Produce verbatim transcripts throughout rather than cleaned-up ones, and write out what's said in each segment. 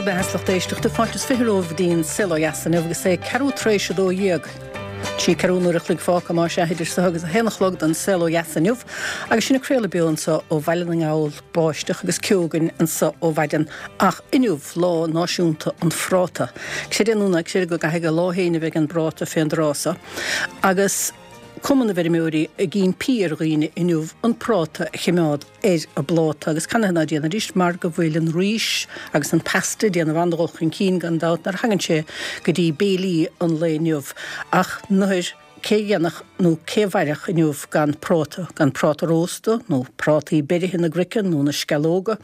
Bhur mbeatha, a lucht éisteachta, fáilte is fiche romhaibh go dtí an Saol Ó Dheas inniu agus é ceathrú tar éis a dó dhéag. Trí ceathrú uair a chloig fágtha más ea idir seo agus a haon a chlog don Saol Ó Dheas inniu agus sinn ag craoladh beo anseo ó Bhaile na nGall, báisteach agus ceo againn anseo ó mhaidin ach inniu lá náisiúnta an phráta. Creid é nó ná creid go gcaithfidh a lá féin a bheith ag an bpráta fén dtráth seo agus Cumann na bhFeirmeoirí ag impí ar dhaoine inniu an práta a chimeád ar a bpláta agus canathaobh ná déanfaidís mar go bhfuil an rís agus an pasta ag déanamh an-dhul chun cinn gan dabht nuair a thagann sé go dtí béilí an lae inniu ach nuair cé a dhéanfadh nó cé a mhairfeadh inniu gan práta, gan práta rósta nó prátaí beirithe na gcroiceann nó na sceallóga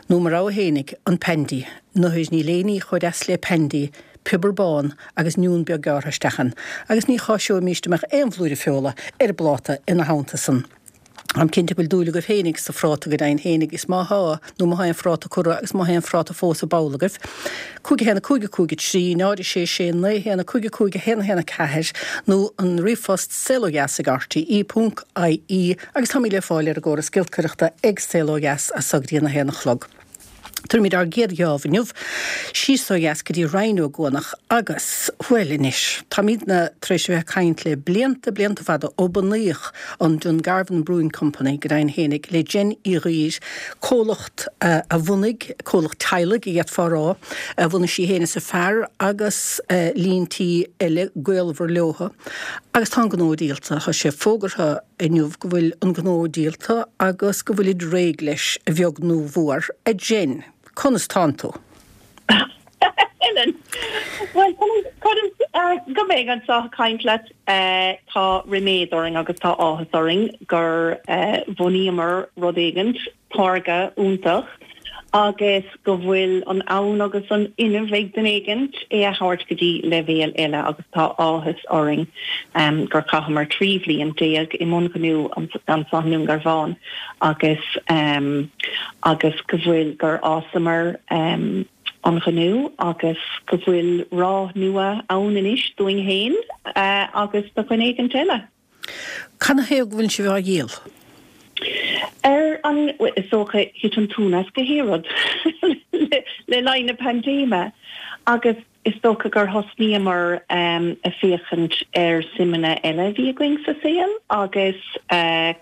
nó mo rogha fhéinig, an pandy. Nuair níl aon ní chomh deas le pandy piobar bán agus oinniún beag gearrtha isteach ann, agus ní cháiseoimíst a mbeadh aon bhlúire feola ar an bpláta ina theannta san. Táim cinnte go bhfuil dúil agaibh fhéinig sa phráta go deimhin fhéinig, is má thá, nó má thá aon phráta curtha agus má thá aon phráta fós i bpoll agaibh, cúig a haon a cúig a cúig a trí, náid a sé sé naoi a haon a cúig a cúig a haon a haon a ceathair, nó an ríomhphost saolódheas ag rte ponc ie, agus táimid le fáil ar an gcóras giolcaireachta ag Saol Ó Dheas as so go dtí an a haon a chlog. Tabharfaimid ár gcéad gheábh inniu síos ó dheas go dtí Rinn Ó gCuanach agus, bhuel anois, táimidne tar éis a bheith ag caint le blianta, blianta fada ó bunaíodh an Dungarvan Brewing Company, go deimhin fhéinig, le Jen Uí Dhuibhir, comhlacht a bhunaigh, comhlacht teaghlaigh a d'fhéadfá a rá, a bhunaigh sí féin is a fear agus líon tí eile gaolmhar leothu. Agus tá an gnó díolta, tá sé fógartha inniu go bhfuil an gnó díolta agus go bhfuilid réidh leis, a bheag nó a mhór. A Jen, conas tánn tú? Helen, Bhuel, conas go mbeidh anseo ag caint leat. Tá ríméad orainn agus tá áthas orainn gur bhunaíomar rud éigint, táirge iontach, agus go bhfuil an fonn agus an fhuinneamh ag duine éigint é a thabhairt go dtí leibhéal eile agus tá áthas orainn gur chaitheamar trí bhliain déag i mbun gnó anseo i nDún Garbhán agus agus go bhfuil gur fhásamar an gnó agus go bhfuil ráth nua ann anois dúinn féin agus do dhuine éigint eile. Canathaobh go bhfuil sibh á dhíol? Ar an, is dócha, thit an tóin as gach aon rud le linn na paindéime agus is dócha gur thosnaíomar ag féachaint ar suimeanna eile a bhí againn sa saol agus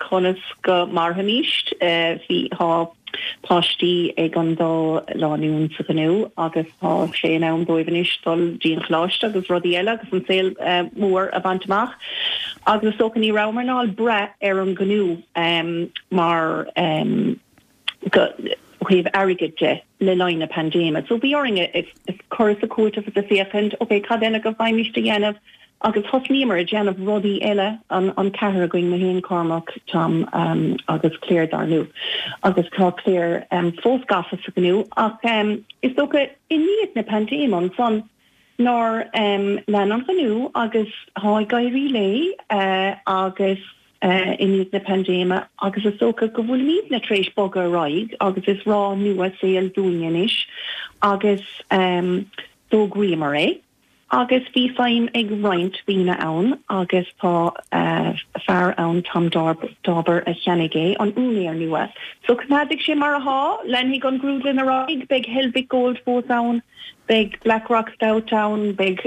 conas go mairfimís. Bhí, tá páistí ag an dá lánúin sa ghnó agus tá sé in am dóibh anois dul dtí an choláiste agus rudaí eile agus an saol mór a bhaint amach. Agus is dócha ní rabhamar in ann brath ar an ghnó mar go ó thaobh airgid de le linn na paindéime. So bhí orainn cur is a cúiteamh is a féachaint, ok, cad eile go bhfaighimist a dhéanamh? Agus thosnaíomar ag déanamh rudaí eile, an an ceathrar againn, mé féin, Cormac, Tom agus Claire dar ndóigh. Agus tá Claire fós gafa sa ghnó ach is dócha i ndiaidh na paindéime ansan nár lean an gnó agus tá ag éirí léi agus i ndiaidh na paindéime agus is dócha go bhfuilimidne tar éis bogadh ar aghaidh agus is ráth nua saoil dúinne anois agus d'fhógraíomar é. Agus bhí feidhm ag roinnt daoine ann agus tá fear ann, Tom Dauber, a cheannaigh é, an úinéir nua. So coimeádfaidh sé mar atá, leanfaidh an grúdlann ar aghaidh, beidh Helvick Gold fós ann, beidh Blackrock Stout ann, beidh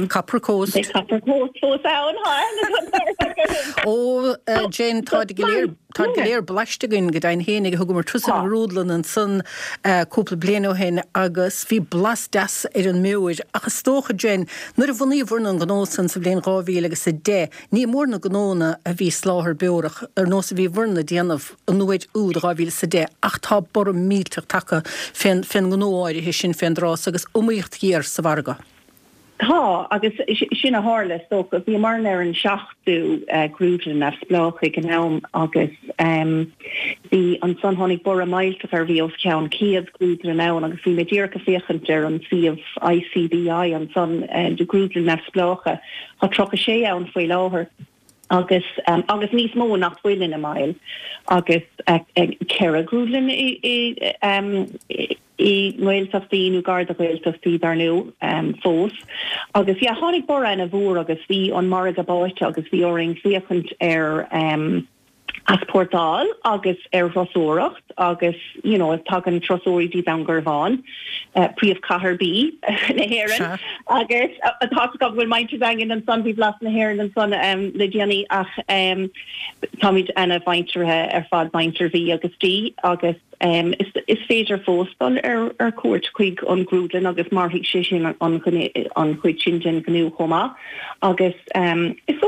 Copper Coast. Beidh Copper Coast fós ann, tá aithne Ó, Jane, táid go léir. Táid go léir blaiste againn go deimhin fhéinig. Thugamar turas ar an ngrúdlann ansan cúpla bliain ó shin agus bhí blas deas ar an mbeoir. Ach is dócha, Jen, nuair a bhunaíobhair an gnó san sa bhliain dhá mhíle agus a deich, ní mór na gnónna a bhí soláthar beorach ar nós a bhíobhairne a déanamh an uair úd, dhá mhíle is a deich, ach tá borradh millteach tagtha fén ngnó áirithe sin fén dtráth so agus iomaíocht ghéar sa mhargadh. Tá, agus sin a tharla, is dócha. Bhíomarna ar an seachtú grúdlann neamhspleách ag an am agus bhí ansan tháinig borradh millteach ar bhí os cionn céad grúdlann ann agus bhí mé díreach ag féachaint ar an suíomh ICBI ansan de grúdlann neamhspleácha. Tá tríocha sé ann faoi láthair agus agus níos mó nach bhfuil ina mbaill agus ceithre grúdlann i i i nGaeltachtaí nó gar do Ghaeltachtaí dar ndóigh fós. Agus yeah tháinig borradh ana mhór agus bhí an margadh báite agus bhí orainn féachaint ar Easpórtáil agus ar thurasóireacht agus you know, tagann turasóirí dtí Dún Garbhán, uh, príomhchathair bídh na hÉireann agus tá go bhfuil muintir Daingean ansan bhí blas na hÉireann ansan um, le déanaí ach um, táimid ana-mhuinteartha ar fad muintir Mhí agus D agus um, is, is féidir fós dul ar, ar cuairt chuig an grúdlann agus mairfidh sé sin an, an, an chuid sin den ghnó chomh maith agus um, is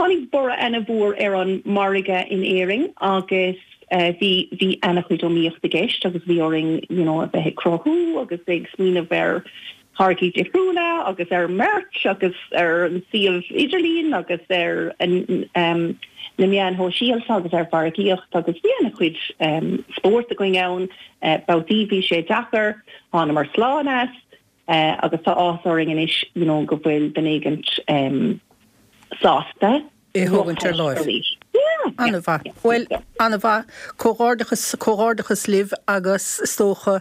tháinig borradh an-mhór ar an margadh in Éirinn agus uh, bhí bhí an-chuid iomaíocht i gceist agus bhí orainn you know, a bheith ag cruthú agus ag smaoineamh ar tháirgí difriúla agus ar merch agus ar an suíomh idirlín agus ar an um, na meáin shóisialta agus ar mhargaíocht agus bhí an-chuid um, spórt againn ann uh, babhtaí bhí sé deacair thángamar slán as uh, agus tá áthas orainn anois you know, go bhfuil duine éigin um, sásta é thógaint ar láimh. An-mhaith. Well an-mhaith comhghairdeachas comhghairdeachas libh agus is dócha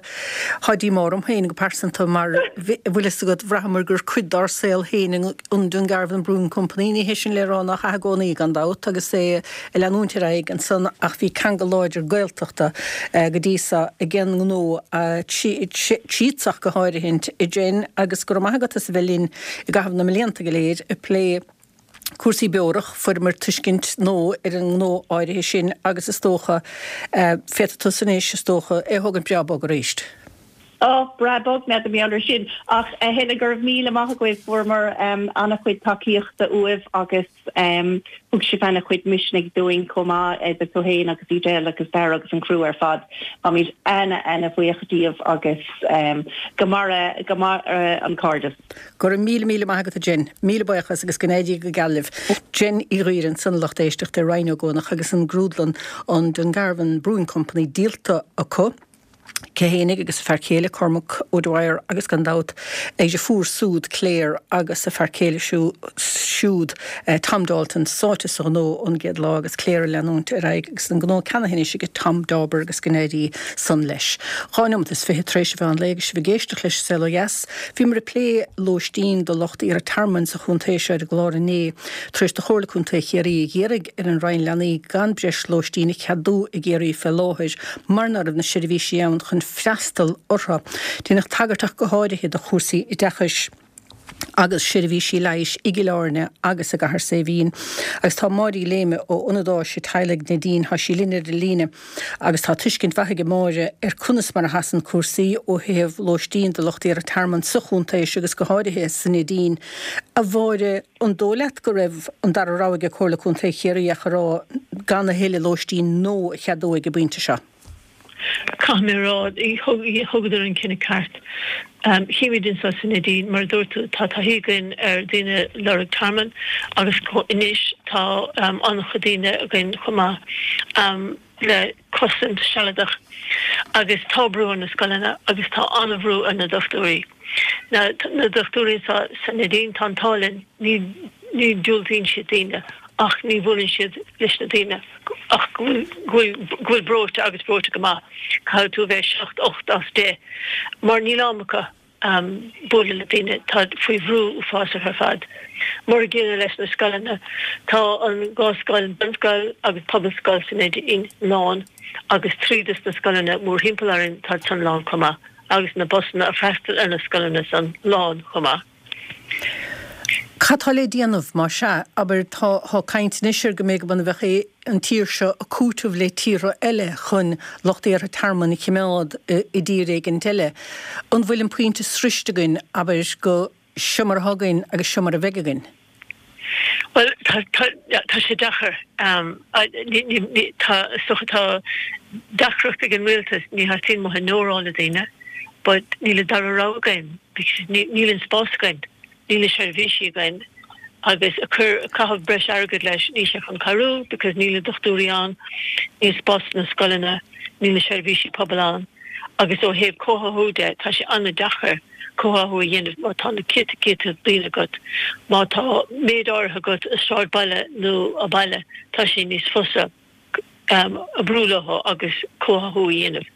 tá díomá orm féin go pearsanta mar bhfuil fhios agat bhraitheamar gur cuid dár saol féin an Dungarvan Brewing Company ní hé sin le rá nach ea i gcónaí gan dabht agus é ag leanúint ar aghaidh ansan ach bhí ceangal láidir Gaeltachta go dtí seo ag an ngnó tíosach go háirithe a Jen agus go raibh maith agat as a bheith linn i gcaitheamh na mblianta go léir ag plé cúrsaí beorach fuaireamar tuiscint nua ar an ngnó áirithe sin agus is dócha féadfaidh tú anois is dócha é thógaint breá bog arís. Ó breá bog mé de sin ach a Helen go raibh míle maith agaibh fuaireamar um, an-chuid tacaíochta uaibh agus um, thug sibh an-chuid misnigh dúinn chomh maith idir tú féin agus Edel agus Dara agus an crew ar fad. Táimid ana ana-bhuíoch díobh agus um, go maire go maire an cairdeas. Go raibh míle míle maith agat Jen, míle buíochas agus go n-éirí go geal libh. Jen Uí Ghaoir ansan lucht éisteachta i Rinn Ó gCuanach agus an grúdlann an Dungarvan Brewing Company díolta acu. Aici fhéinig agus a fear céile Cormac O'Dwyer agus gan dabht a deirfiúr súd Claire agus a fear céile siúd eh, Tom Dalton sáite sa ghnó ón gcéad lá agus Claire leanúint ar aghaidh agus an gnó ceannaithe anois ag Tom Dauber agus go n-éirí san leis. Dhá nóiméad is fiche tar éis a mheán lae agus sibh ag éisteacht leis Saol Ó Dheas, Bhíomar ag plé lóistín do lucht iarrtha tearmainn sa chontae seo ar an gclár inné tar éis do Chomhairle Contae Chiarraí a iarraidh ar an Roinn Leanaí gan breis lóistín a cheadú i gCiarraí fé láthair mar nach raibh na seirbhísí ann chun freastal orthu. Déanadh tagairt ach go háirithe do chúrsaí oideachais agus seirbhísí leighis i gCill Airne agus i gCathair Saidhbhín. Agus tá Máire Uí Léime ó Ionad Áise Teaghlaigh Neidín tá sí linn ar an líne agus tá tuiscint mhaith ag Máire ar conas mar a sheasann cúrsaí ó thaobh lóistín do lucht iarrtha tearmainn sa chontae agus go háirithe sa Neidín. A Mháire an dóigh leat go raibh an dara rogha ag Comhairle Contae Chiarraí ach a rá gan a thuilleadh lóistín nua a cheadú ag an bpointe seo. Caithfidh mé rá thugadar an cinneadh ceart. Chímid anseo sa Neidín mar dúirt tú tá taithí againn ar daoine ag lorg tearmann agus anois tá an-chuid daoine againn chomh maith le cosaint sealadach agus tá brú ar na scoileanna agus tá an-bhrú ar na dochtúirí. Na na dochtúirí sa sa Neidín tá an t-ádh linn ní ní diúltaíonn siad daoine ach ní bhuaileann siad leis na daoine ach go bhfuil go bhfuil breoite agus breoite go maith. Caithfidh tú bheith seacht ocht as deich mar níl am acu um, bualadh le daoine tá faoi bhrú uafásach ar fad. Mar an gcéanna leis na scoileanna tá an dhá scoil bunscoil agus pobalscoil sa Neidín lán agus trí des na scoileanna mórthimpeall orainn tá san lán chomh maith agus na busanna a freastal ar na scoileanna san lán chomh maith. Cad tá le déanamh mar sea abair tá tá caint anois ar go mbeidh go mbeadh an tír seo ag cúiteamh le tíortha eile chun lucht iarrtha tearmainn a choimeád i dtír éigin eile. An bhfuil an pointe sroichte againn abair go seo mar atá againn agus seo mar a bheidh againn? Well tá tá tá sé deacair um, tá so tá deacracht ag an rialtas ní theastaíonn mo nóráil le daoine, but níl an dara rogha againn because níl an spás againn, níl na seirbhísí againn agus a chur caitheamh breis airgid leis ní sé chun cabhrú because níl na dochtúirí ann, níl spás na scoileanna, níl na seirbhísí pobail ann agus ó thaobh comhtháthú de tá sé an-deacair comhtháthú a dhéanamh má tá na céadta céadta daoine agat má tá méid áirithe agat i sráidbhaile nó i mbaile tá sé níos fusa um, oibriú leo agus comhtháthú a dhéanamh.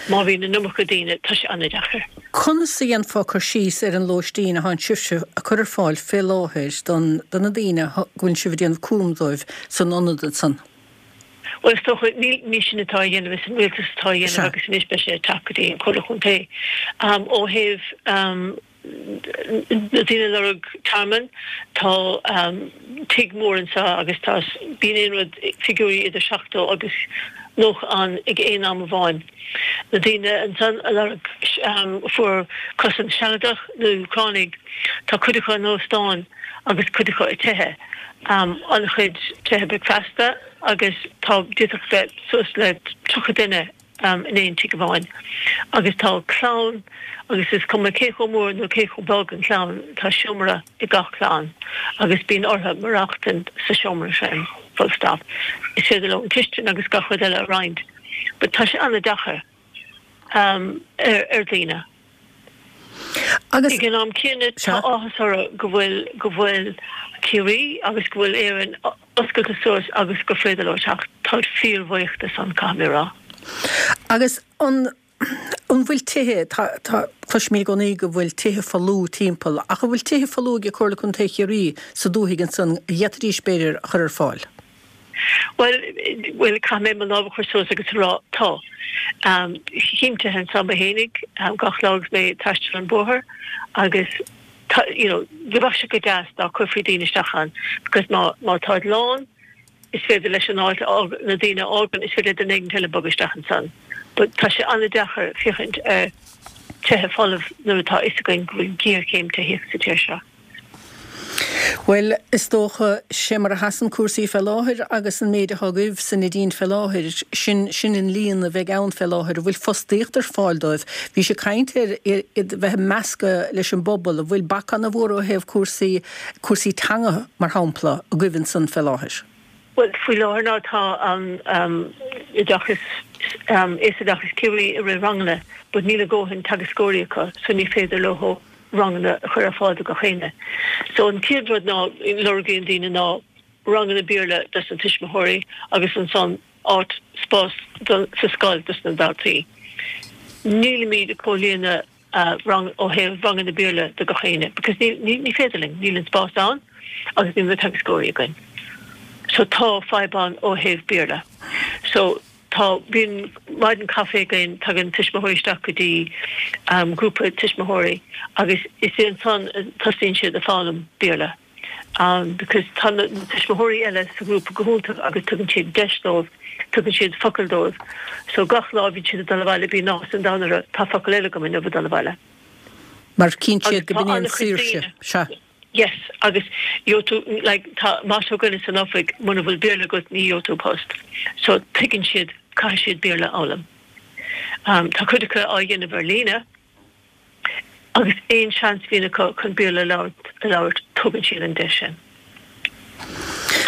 Má bhíonn an iomarca daoine tá sé an-deacair. Conas a dhéanfá cur síos ar an lóistín atá sibhse a chur ar fáil fé láthair don do na daoine go bhfuil sibh ag déanamh cúram dóibh san ionad san? Bhuel, is dócha, ní ní sinne atá á dhéanamh, is an rialtas atá á dhéanamh agus anois beidh sé ag teacht go dtí an Chomhairle Chontae. Ó thaobh na daoine ag lorg tearmann, tá tigh mór anseo agus tá, bíonn aon rud, figiúirí idir seachtó agus nócha ann ag aon am amháin. Na daoine ansan a lorg, a fuair cosaint sealadach, na Úcránaigh, tá cuid acu in óstáin agus cuid acu i tithe, an-chuid tithe bricfeasta agus tá, d'fhéadfadh bheith suas le tríocha duine in aon tigh amháin agus tá clann agus is cuma cé chomh mór nó cé chomh beag an chlann, tá seomra ag gach clann agus bíonn orthu maireachtaint sa seomra sin, full stop. Is féidir leo an chistin agus gach rud eile a roinnt but tá sé an-deacair ar dhaoine. Agus. Ag an am céanna tá áthas orthu go bhfuil go bhfuil Ciarraí agus go bhfuil Éirinn oscailte suas agus gur féidir leo teacht. Táid fíorbhuíoch de san, caithfidh mé a rá. Agus an an bhfuil tithe, tá tá cloisimid i gcónaí go bhfuil tithe folamh timpeall, ach an bhfuil tithe folamh ag Comhairle Contae Chiarraí sa dúthaigh ansan a d'fhéadfaidís b'fhéidir a chur ar fáil? Bhuel, bhuel, caithfidh mé mo lámh a chur suas agus a rá, tá. Tchím tithe anseo mé fhéinig gach lá agus mé ag taisteal an bóthar agus tá, you know, bheadh sé go deas dá gcuirfí daoine isteach ann because má, má táid lán, is féidir leis an áit a fhág, na daoine a fhágann, is féidir le duine éigin eile bogadh isteach ansan. But tá sé an-deacair féachaint ar tithe folamh nuair atá a fhios againn go bhfuil géarchéim tithíochta sa tír seo. Bhuel, is dócha, sé mar a sheasann cúrsaí fé láthair agus an méid atá agaibh sa Neidín fé láthair, sin, sin an líon a bheidh ann fé láthair, an bhfuil fostaíocht ar fáil dóibh? Bhís ag caint ar iad bheith measctha leis an bpobal, an bhfuil bac ana-mhór ó thaobh cúrsaí, cúrsaí teanga, mar shampla, agaibh ansan fé láthair? Bhuel, faoi láthair ná tá an oideachas, Aosoideachas Ciarraí ag rith ranganna but níl a dhóthain teagascóirí acu so ní féidir leo ranganna a chur ar fáil do gach éinne. So an chéad rud ná lorgaíonn daoine ná ranganna Béarla dos na tuismitheoirí agus ansan áit, spás sa scoil dos na daltaí. Nílimid ag comhlíonadh rang ó thaobh ranganna Béarla do gach éinne because ní ní féidir linn, níl an spás ann agus níl na teagascóirí againn. So tá fadhb ann ó thaobh Béarla. So tá, bíonn maidin caife againn, tagann tuismitheoirí isteach go dtí grúpa tuismitheoirí agus is é ansan a tosaíonn siad ag foghlaim Béarla because tá na tuismitheoirí eile sa ghrúpa go hiontach agus tugann siad deis dóibh, tugann siad focail dóibh. So gach lá a bhíonn siad ag dul abhaile bíonn áthas an domhain orthu, tá focal eile agam inniu ag dul abhaile. Mar tchíonn siad Agus go tá b'in é an an-chuid saoirse, daoine. sea. Yes, agus gheobhaidh tú, like, tá motto againne san oifig, muna bhfuil Béarla agat ní gheobhaidh tú post. So tuigeann siad, caithfidh siad Béarla a fhoghlaim. Um, tá cuid acu á dhéanamh ar líne agus aon seans a bhíonn acu chun Béarla a labhairt, a labhairt, tugann siad an deis sin.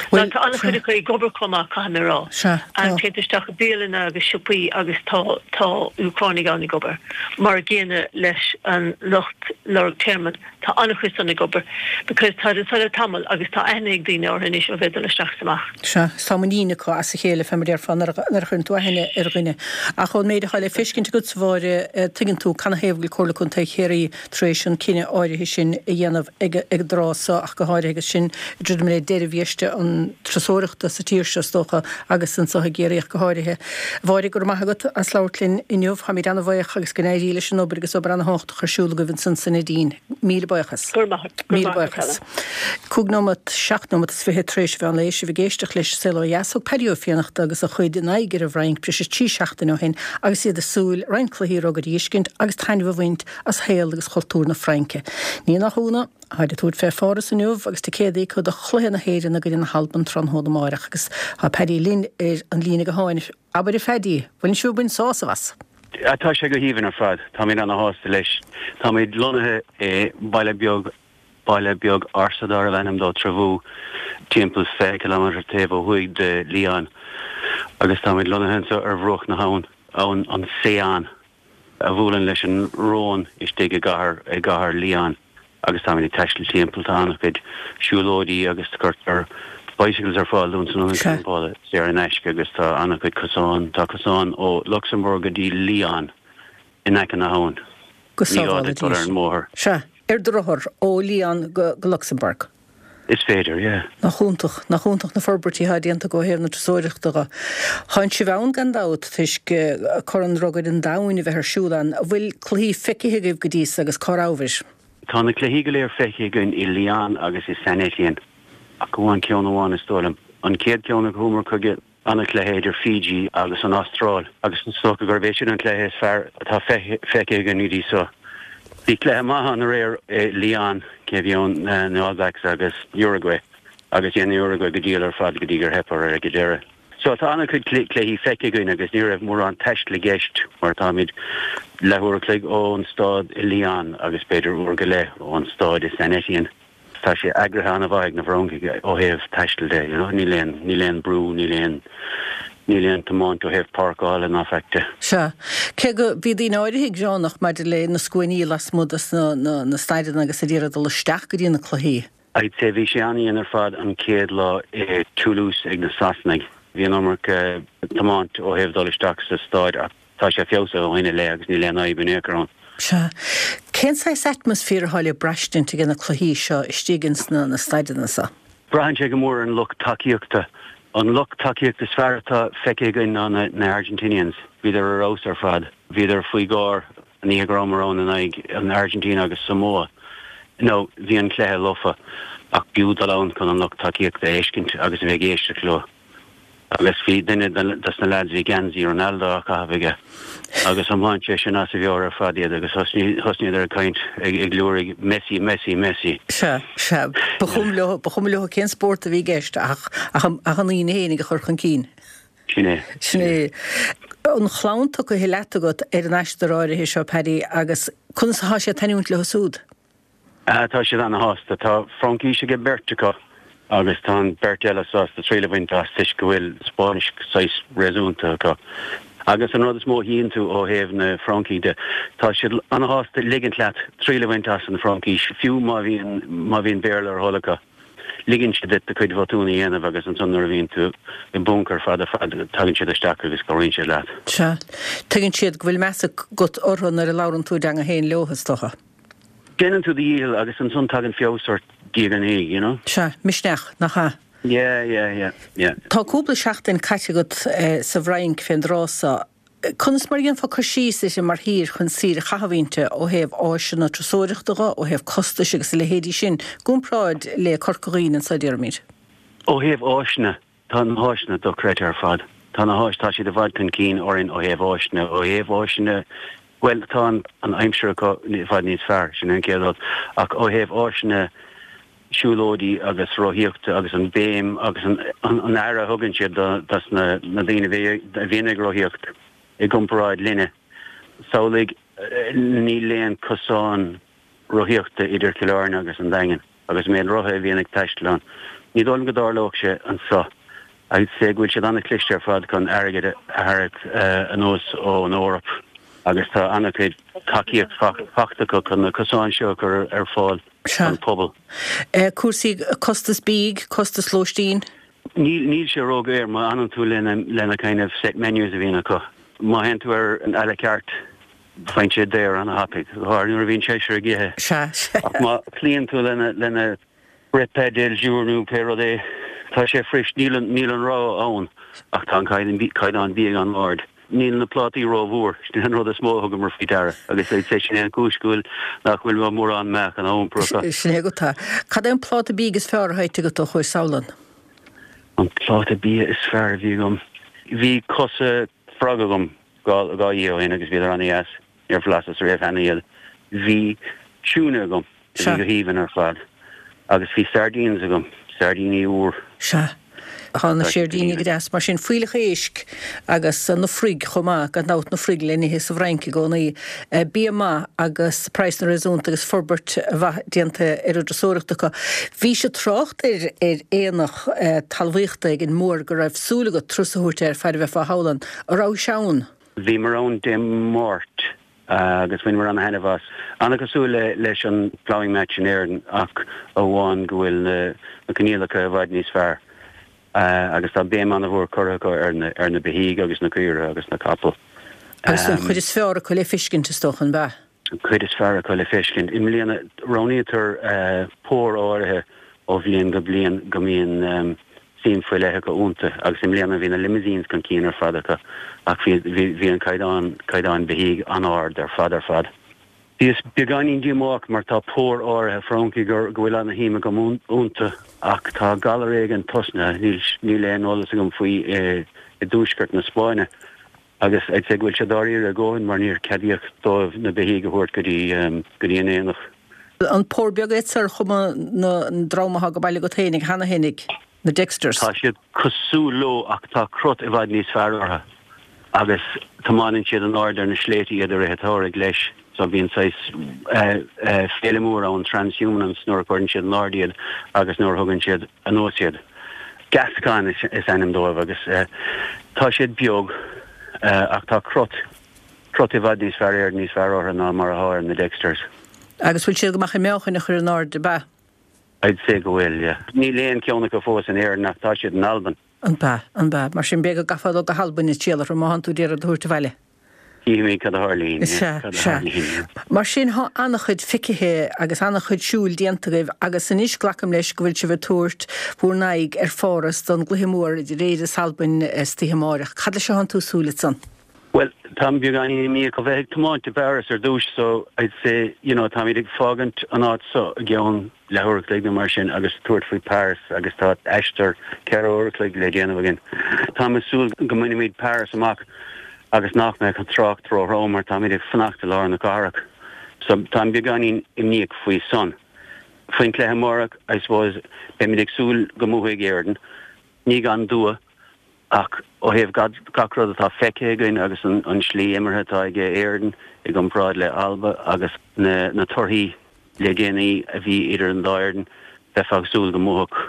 Now Bhuel, tá an-chuid sea. acu ag obair chomh maith, caithfidh mé a rá. Sea, tá. Téann tú isteach i bialanna agus siopaí agus tá, tá Úcránaigh ann ag obair. Mar a gcéanna leis an lucht lorg tearmainn, tá an-chuid san ag obair because táid anso le tamall agus tá aithne ag daoine orthu anois ó bheith ag dul isteach is amach. Sea, is tá muinín acu as a chéile, fé mar déarfá, nuair a, nuair a chuireann tú aithne ar dhuine. Ach ón méid atá le feiscint agatsa, a Mháire, tuigeann tú canathaobh go bhfuil Comhairle Contae Chiarraí tar éis an cinneadh áirithe sin a dhéanamh ag an dtráth so ach go háirithe agus sinn ag druidim le deireadh bhiaiste an turasóireachta sa tír seo is dócha agus anso i gCiarraí ach go háirithe. A Mháire, go raibh maith agat as labhairt linn inniu. Táimid ana-bhaoch agus go n-éirí leis an obair agus obair ana-thábhachtach ar siúl agaibh ansan sa Neidín. Míle buíochas. Go raibh maith agat. Go raibh Míle maith agat, buíochas. Helen. Cúig nóimeat, seacht nóimeat is fiche tar éis an mheán lae, sibh ag éisteacht leis Saol Ó Dheas. Thug Paddy Ó Fiannachta agus a chuid a n-aghaidh ar an bhFrainc breis is trí seachtaine ó shin agus iad ag súil roinnt cluichí rugair a fheiscint agus taitneamh a bhaint as shaol agus chultúr na Fraince. Ní nach ionadh, táid ag tabhairt fé Pháras inniu agus ticéadaí acu do chluiche na hÉireann i gcoinne na hAlban tráthnóna amáireach agus tá Paddy linn ar an líne gutháin. Abair a Phaddy, bhfuileann sibh ag baint sásamh as? Tá sé go haoibhinn ar fad. Táimid ana-shásta leis. Táimid lonnaithe i baile beag, baile beag ársa darbh ainm dó Trevoux, timpeall fiche ciliméadar taobh ó thuaidh de Lyon agus táimid lonnaithe anseo ar bhruach na habhann, abhainn an Seine. a bhuaileann leis an Rhône istigh i gcathair i gcathair Lyon agus táimid ag taisteal timpeall. Tá an-chuid siúlóidí agus cuirtear bicycles ar fáil dúinn san ionad Sea. campála saor in aisce agus tá an-chuid cosán, tá cosán ó Luxembourg go dtí Lyon in aice na habhann. Go Ní gá sábhála duit dul Dia ar an sinn. mbóthar. Sea, ar do rothar ó Lyon go go Luxembourg. Is féidir, yeah. Nach iontach, nach iontach na forbairtí atá déanta acu ó thaobh na turasóireachta dhe. Tánn sibh ann gan dabht toisc Corn Rugair an Domhain a bheith ar siúl ann. An bhfuil cluichí feicthe agaibh go dtí so agus cá rabhabhair? Tá na cluichí go léir feicthe againn i Lyon agus i Saint-Étienne, ach amháin ceann amháin is dóigh liom. An chéad ceann a chuamar chuige an-chluiche idir Fiji agus an Astráil agus is dócha gurb é sin an cluiche is fearr atá feicthe againn go dtí so. Bhí cluiche maith ann aréir i Lyon, cé a bhí ann, na All Blacks agus Uruguay agus dhein Uruguay go diail ar fad go dtí gur theip orthu ag an deireadh. So tá an-chuid cluichí feicthe againn agus ní raibh mórán taistil i gceist mar táimid leathuair a chloig ón staid i Lyon agus b'fhéidir uair go leith ón staid i Saint-Étienne. Tá sé eagraithe an-mhaith ag na Francaigh ó thaobh taistil de, you know, níl aon, níl aon brú, níl aon, níl aon tiomáint ó thaobh páirceála ná faic de. Sea. Cé go, bhí daoine áirithe ag gearánach maidir le na scuainí lasmuigh dos na, na, na staideanna agus ag iarraidh dul isteach go dtí na cluichí. I'd say bhí sé an-dhian ar fad an chéad lá i Toulouse ag na Sasanaigh. Bhí an iomarca tiomáint ó thaobh dul isteach sa staid ach tá sé feabhsaithe ó shin i leith agus níl aon fhadhb in aon chor ann. Sea. Cén saghas atmaisféar atá le braistint ag na cluichí seo istigh ins na na staideanna seo? Braitheann sé go mór ar an lucht tacaíochta. An lucht tacaíochta is fearr atá feicthe againn ná na na Argentinians. Bhíodar ar fheabhas ar fad. Bhíodar faoi gháir an oíche go rabhamar ann in aghaidh an Argentina agus Samoa. Now bhí an cluiche lofa ach b'fhiú dul ann chun an lucht tacaíochta a fheiscint agus a bheith ag éisteacht leo. Agus bhí duine dos na leaids, bhí geansaí Ronaldo á chaitheamh aige agus thiomáin sé sin as a mheabhair ar fad iad agus thosnaíodar ag caint, ag liúirigh Messi, Messi, Messi. Sea, sea. Ba chuma leo, ba chuma leo cén spórt a bhí i gceist ach, ach, ach an aoine fhéinig a chur chun cinn. Sin é. Sin é. An chlann tugtha leat agat ar an aistear áirithe seo, Paddy, agus conas atá sé ag taitneamh leo súd? Tá siad ana-shásta. Tá Fraincis ag beirt acu agus tá an beirt eile sásta triail a bhaint as toisc go bhfuil Spáinnis saghas réasúnta acu. Agus an rud is mó a tchíonn tú ó thaobh na Francaigh de, tá siad ana-shásta ligint leat triail a bhaint as an Fhraincis, fiú má bhíonn má bhíonn Béarla ar a thoil acu. Ligeann siad duit do chuid bhotún a dhéanamh agus ansan nuair a bhíonn tú i bponc ar fad ar fad, tagann siad isteach agus cabhraíonn siad leat. Sea. Tuigeann siad go bhfuil meas agat orthu nuair a labhrann tú a dteanga féin leo, is dócha. Déanann tú do dhícheall agus ansan tagann feabhas ort diaidh ar ndiaidh, you know. Sea, misneach, nach ea? Yeah, yeah, yeah, yeah. Tá cúpla seachtain caite agat sa bhFrainc fén dtráth so. Conas mar a dhéanfá cur síos uirthi mar thír chun saoire a chaitheamh inti, ó thaobh áiseanna turasóireachta dho, ó thaobh costais agus a leithéidí sin, i gcomparáid le Corca Dhuibhne anso, déarfaimid? Ó thaobh áiseanna, tá na háiseanna dochreidte ar fad. Tá na háis, tá siad i bhfad chun cinn orainn ó thaobh áiseanna, ó thaobh áiseanna, Bhuel, tá an aimsir acu i bhfad níos fearr, sin an chéad rud, ach ó thaobh áiseanna siúlóidí agus rothaíochta agus an béim agus an aire a thugann siad dos na daoine a bhíonn ag rothaíocht i gcomparáid linne, samhlaigh, níl aon cosán rothaíochta idir Cill Airne agus an Daingean agus an méid rothaithe a bhíonn ag taisteal ann. Ní dóigh liom go dtarlódh sé anso. I'd say go bhfuil siad an-chliste ar fad chun airgead a tharraingt anuas ón Eoraip agus tá an-chuid tacaíocht fachta acu chun na cosáin seo a chur ar fáil don phobal. Cúrsaí costas bídh, costas lóistín? Níl, níl sé ródhaor má fhanann tú lena kind of set menus a bhíonn acu. Má théann tú ar an à la carte, Faigheann sé daor ana-thapaidh, go háirithe nuair a bhíonn seisear ag ithe. Sea, sea. Ach má chloíonn tú lena, lena repas del jour nó pé rud é, tá sé fuirist, níl an, níl an rogha ann ach tá an caighdeán, caighdeán bídh an-ard. Níl na plátaí rómhór, sin an rud is mó a thugamar faoi deara agus I'd say sin é an chúis go bhfuil, nach bhfuil mórán meáchan á iompar acu. Sin é agat é. Cad é an pláta bídh is fearr atá ite agat ó chuais sall ann? An pláta bia is fearr a bhí agam? Bhí cosa frog agam. Dhá oíche ó shin agus bhíodar ana-dheas, níor bhlaiseas riamh cheana iad. Bhí tuna agam, a bhí go haoibhinn ar fad, agus bhí sardines agam, sairdíní úr. Sea, tá na sairdíní go deas mar sin, fuílleach éisc agus na froig chomh maith, gan dabht na froig le n-ithe sa bhFrainc i gcónaí. Bia maith agus praghsanna réasúnta agus forbairt mhaith déanta ar an dturasóireacht acu. Bhís ag trácht ar ar aonach talmhaíochta ag an mBourg go raibh súil agat turas a thabhairt air faid a bheifeá thall ann. An rabhais ann? Bhíomar ann Dé Máirt agus bhaineamar ana-thaitneamh as. Ana-chosúil leis an Ploughing Match in Éirinn ach amháin go bhfuil na coinníollacha i bhfad níos fearr agus tá béim ana-mhór curtha acu ar na beithígh agus na caoirigh agus na capaill. Agus an chuid is fearr acu le feiscint is dócha, an b'ea? An chuid is fearr acu le feiscint. I mbliana roghnaítear pór áirithe ó bhliain go bliain go mbíonn suim faoi leith acu iontu agus i mbliana bhí na limousines chun cinn ar fad acu ach bhí an caighdeán caighdeán beithígh an-ard ar fad ar fad. Bhíos beagáinín díomách mar tá pór áirithe Francaigh go bhfuil ana-shuim agam iontu ach tá galar éigin tosnaithe, níl aon eolas agam faoi i dtuaisceart na Spáinne agus I'd say go bhfuil sé dáiríre a dhóthain mar níor ceadaíodh dóibh na beithígh a thabhairt go dtí go dtí an aonach. An pór beag iad ar chuma na dream atá go baile agat fhéinig cheana fhéinig, na Dexters? Tá siad cosúil leo ach tá crot i bhfad níos fearr orthu agus tiomáineann siad in airde ar na sléibhte iad i rith an tsamhraidh leis so bíonn saghas féile mór ann, transhumance, nuair a chuireann siad in airde iad agus nuair a thugann siad anuas iad. Gascon is ainm dóibh agus tá siad beag ach tá crot crot i bhfad níos fearr airde níos fearr orthu ná mar atá ar na Dexters. Agus bhfuil siad go maith chun meáchain a chur in airde, ab ea? I'd say go bhfuil, yeah. Níl aon cheann acu fós in Éirinn ach tá siad in Albain. An b'ea, an b'ea. Mar sin b'fhéidir go gcaithfeá dul go hAlbain ag triall orthu má thánn tú d'iarraidh iad a thabhairt abhaile. Chífimid cad a tharlaíonn, Sea, yeah, cad a sea. tharlaíonn, yeah. Mar sin thá an-chuid feicithe agus an-chuid siúil déanta agaibh agus anois glacaim leis go bhfuil sibh ag tabhairt bhur n-aghaidh ar Pháras don gcluiche mór idir Éire is Albain istoíche amáireach. Cad leis athánn tú ag súil ansan? Bhuel, táim beagáinín imníoch ó bheith ag tiomáint i bPáras ar dtús so I'd say, you know, táimid ag fágaint an áit so i gceann leathuair a chloig nó mar sin agus tabhairt faoi Paris agus tá aistear ceithre uair a chloig le déanamh againn. Táim ag súil go mbainfimid Paris amach agus nach mbeadh an trácht róthrom mar táimid ag fanacht i lár na cathrach. So táim beagáinín imníoch faoi san. Faoin cluiche amárach, I suppose, beimid ag súil go mbuafaidh Éirinn, ní gan dua, ach ó thaobh gach rud atá feicthe againn agus an an slí imeartha atá ag Éirinn i gcomparáid le Alba agus na na torthaí le déanaí a bhí idir an dá fhoireann, bheifeá ag súil go mbuafadh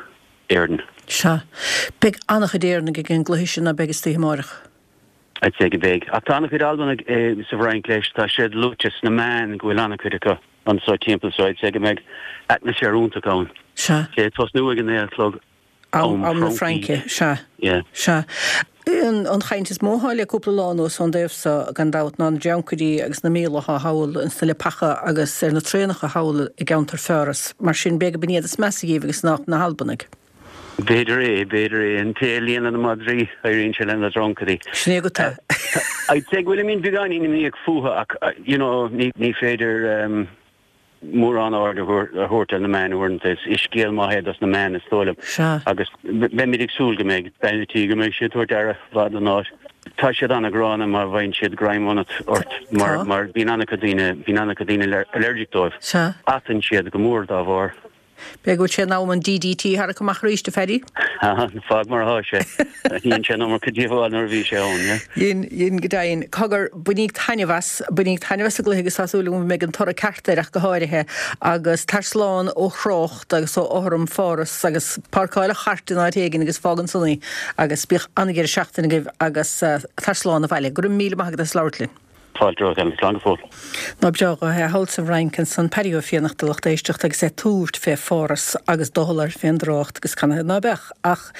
Éirinn. Sea. Beidh an-chuid Éireannaigh ag an gcluiche sin, ná beidh, istoíche amáireach? I'd say go mbeidh. Ach tá an-chuid Albanaigh sa bhFrainc leis, tá siad luaite sna meáin go bhfuil an-chuid acu anso timpeall so I'd say go mbeidh atmaisféar iontach ann. Sea. Sé ag tosnú ag a naoi a chlog am am na Fraince. Fraince, sea. Yeah. Sea. An an chaint is mó atá le cúpla lá anuas ón dtaobh so gan dabht ná na dreancairí agus na míola atá thall ins na leapacha agus ar na traenacha thall i gceantar Pháras. Mar sin b'fhéidir gurb in iad is measa dhíobh agus nach na hAlbanaigh. B'fhéidir é, b'fhéidir é. An té a líonann na madraí, éiríonn sé lena ndreancairí. Sin é go tá. I'd say go bhfuilimid beagáinín imníoch fúthu ach, you know, ní ní féidir mórán aird a thabhairt ar na meáin uaireanta. Is scéal maith é dos na meáin, is dóigh liom. Sea. Agus beimid ag súil go mbeidh bean an tí, go mbeidh sí ag tabhairt aire mhaith don áit. Tá siad an-ghránna má bhfaigheann siad greim ionat ort mar Tá. mar bíonn an-chuid daoine, bíonn an-chuid daoine allergic dóibh. Sea. Atann siad go mór dá bharr. B'fhéidir go bhfuil sé in am an DDT a tharrac amach arís, a Phaddy? Fág mar atá sé. Dhein sé an iomarca díobháil nuair a bhí sé ann, yeah. Dhein, dhein go deimhin. Cogar, bainíg taitneamh as, bainíg taitneamh as an gcluiche agus tá súil agam go mbeidh an toradh ceart air ach go háirithe agus tar slán ó thrácht agus ó fhothram Pháras agus páirceáil an chairt in áit éigin agus fág ansan í agus bíodh an-dheireadh seachtaine agaibh agus tar slán abhaile. Go raibh míle maith agat as labhairt linn. Fáilte romhat, Ellen. Slán go fóill. Ná breá dho é thall sa bhFrainc ansan Paddy Ó Fiannachta lucht éisteachta agus é ag tabhairt fé Pháras agus doicheall air fén dtrácht agus canathaobh ná beadh ach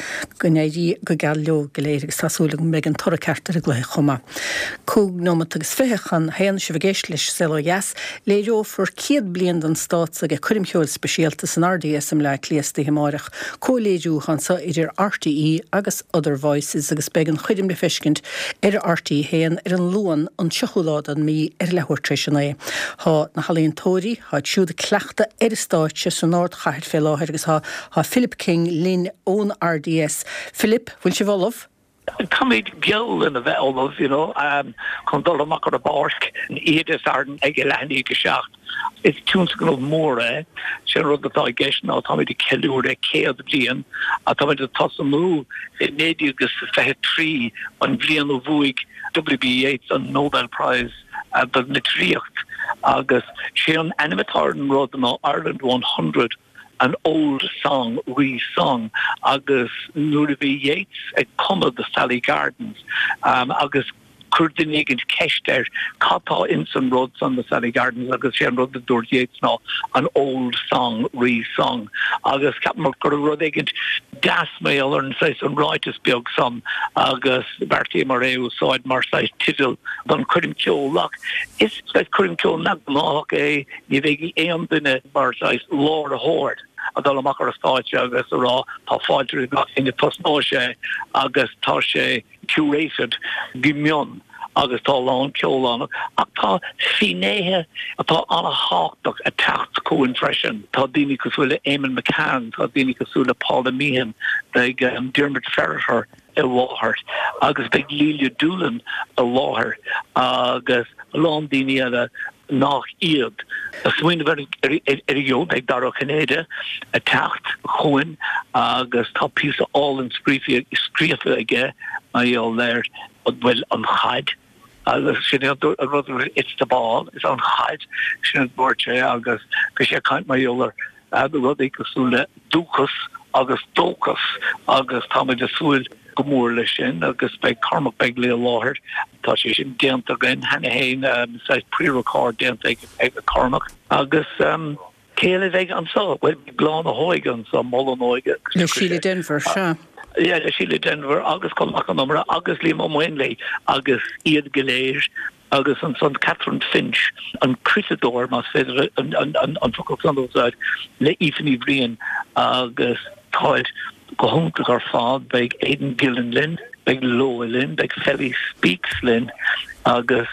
go n-éirí go geal leo go léir agus tá súil agam go mbeidh an toradh ceart ar an gcluiche chomh maith. Cúig nóimeat agus fiche chun haon sibh ag éisteacht leis Saol Ó Dheas. Léireofar céad bliain den stát ag coirm cheoil speisialta san RDS i mBleá Cliath istoíche amáireach. Comhléiriú anso idir RTÉ agus Other Voices agus beidh an choirm le feiscint ar RTÉ haon ar an Luan an tríochú lá den mhí ar leathuair tar éis a naoi. Thá na healaíontóirí, tháid siúd ag cleachtadh ar an stáitse san ardchathair fé láthair agus thá thá Philip King linn ón RDS. Philip, bhfuil sibh ullamh? Táimid geall lena bheith ullamh, you know, um, chun dul amach ar an bpáirc oíche Dé Sathairn ag a leath i ndiaidh a seacht. Is tionscnamh mór é. Sé an rud atá i gceist ná táimid ag ceiliúradh céad bliain ach táimid ag tosnú i naoi déag is fiche trí, an bhliain a bhuaigh WB Yeats an Nobel Prize don litríocht agus sé an ainm atá ar an rud ná Ireland One Hundred, an old song re-sung agus nuair a bhí Yeats ag cumadh The Sally Gardens agus chuir duine éigin ceist air cad tá ins an rud san The Sally Gardens agus sé an rud a dúirt Yeats ná an old song re-sung agus cheapamar go raibh rud éigin deas mar gheall ar an saghas an ráiteas beag san agus bheartaíomar é a úsáid mar saghas teideal don choirm ceoil ach is saghas coirm ceoil neamhghnách é ní bheidh aon duine mar saghas láithreoir. a dul amach ar an stáitse agus a rá tá fáilte roimh gach éinne tosnóidh sé agus tá sé curated go mion agus tá a lán ceol ann ach tá finnéithe atá an-tábhachtach ag teacht chugainn freisin. Tá daoine cosúil le Eamonn McCann, tá daoine cosúil le Paula Meehan, beidh um, Diarmaid Ferriter i láthair agus beidh Lelia Doolan i láthair agus a lán daoine eile nach iad. A smaoineamh ar ar an beidh Dara Ó Cinnéide ag teacht chugainn agus tá píosa álainn scríofa scríofa aige mar gheall ar an bhfuil an chaid agus sin an rud it's the ball is an chaid sin an dúirt sé agus bhí sé ag caint mar gheall ar rudaí cosúil le dúchas agus dóchas agus táimid ag súil go mór leis sin agus beidh Cormac Begley i láthair tá sé sin déanta againn cheana féin um, pre-record déanta ag, ag Cormac agus um, cé eile a bheidh anseo well Bláth na hÓige anseo Mol an Óige Le Síle Denvir sea. Yeah, le Síle Denvir agus Colm Mac Con Iomaire agus Liam Ó Maonlaí agus iad go léir agus ansan Catherine Finch an criosadóir más féidir an, an, an, an focal san a úsáid le Aoife Ní Bhriain agus táid go hiontach ar fad beidh Aidan Gillen linn, beidh Loa linn, beidh Felly Speaks linn agus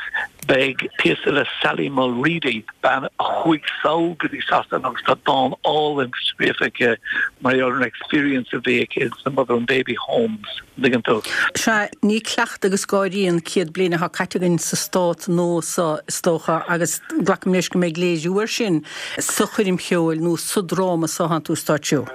beidh píosa le Sally Mulready bean a chuaigh sall go dtí Sasana agus tá dán álainn scríofa aici mar an experience a bhí aici the mother and baby homes tuigeann tú. Sea ní cleachtadh agus gáirí an céad bliain atá caite againn sa stát nua seo is dócha agus glacaim leis go mbeidh léiriú air sin sa choirm cheoil nó sa dráma seo atá tú ag stáitsiú.